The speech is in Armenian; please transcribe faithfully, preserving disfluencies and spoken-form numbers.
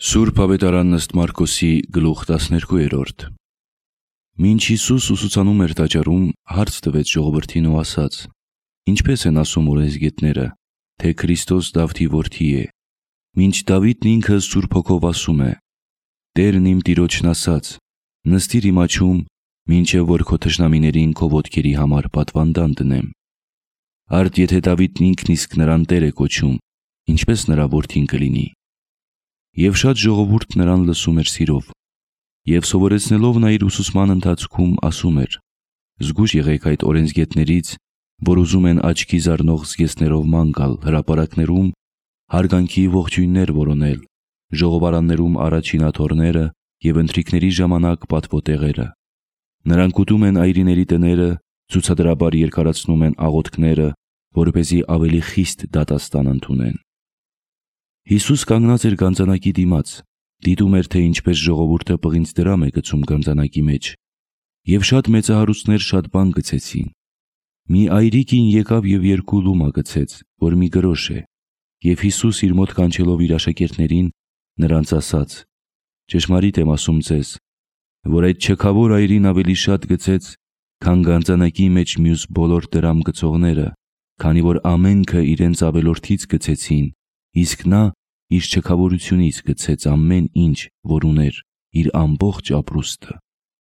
Սուրբ Ավետարանն ըստ Մարկոսի գլուխ տասներկու։ Մինչ Հիսուս ուսուցանում էր տաճարում, հարց տվեց ժողովրդին ու ասաց. «Ինչպես են ասում օրենսգետները, թե Քրիստոս Դավթի որդի է։ Մինչ Դավիթն ինքը Սուրբ Հոգով ասում է. Տերն իմ Տիրոջն ասաց. նստիր իմ աջում, մինչև որ քո թշնամիներին քո ոտքերի համար պատվանդան դնեմ։ Արդ եթե Դավիթն ինքն իսկ նրան Տեր է կոչում, ինչպես նրա որդին կլինի»։ Եվ շատ ժողովուրդ նրան լսում էր սիրով։ Եվ սովորեցնելով նա իր ուսուցման ընթացքում ասում էր. «Զգույշ եղեք այդ օրենսգետներից, որ ուզում են աչքի զարնող զգեստներով ման գալ հրապարակներում, հարգանքի ողջույններ որոնել, ժողովարաններում առաջին աթոռները և ընթրիքների ժամանակ պատվոտեղերը։ Նրանք ուտում են այրիների տները, ցուցադրաբար երկարացնում են աղոթքները, որպեսզի ավելի խիստ դատաստան ընդունեն»։ Հիսուս կանգնած էր գանձանակի դիմաց, դիտում էր, թե ինչպես ժողովուրդը պղինձ դրամ է գցում գանձանակի մեջ, և շատ մեծահարուստներ շատ բան գցեցին։ Մի այրի կին եկավ և երկու լումա գցեց, որ մի գրոշ է, և Հիսուս իր մոտ կանչելով իր աշակերտներին, նրանց ասաց. «Ճշմարիտ եմ ասում ձեզ, որ այդ չքավոր այրին ավելի շատ գցեց, քան գանձանակի մեջ մյուս բոլոր դրամ գցողները, քանի որ ամենքը իրենց ավելորդից գցեցին, իսկ նա իր չքավորությունից գցեց ամեն ինչ, որ ուներ, իր ամբողջ ապրուստը»։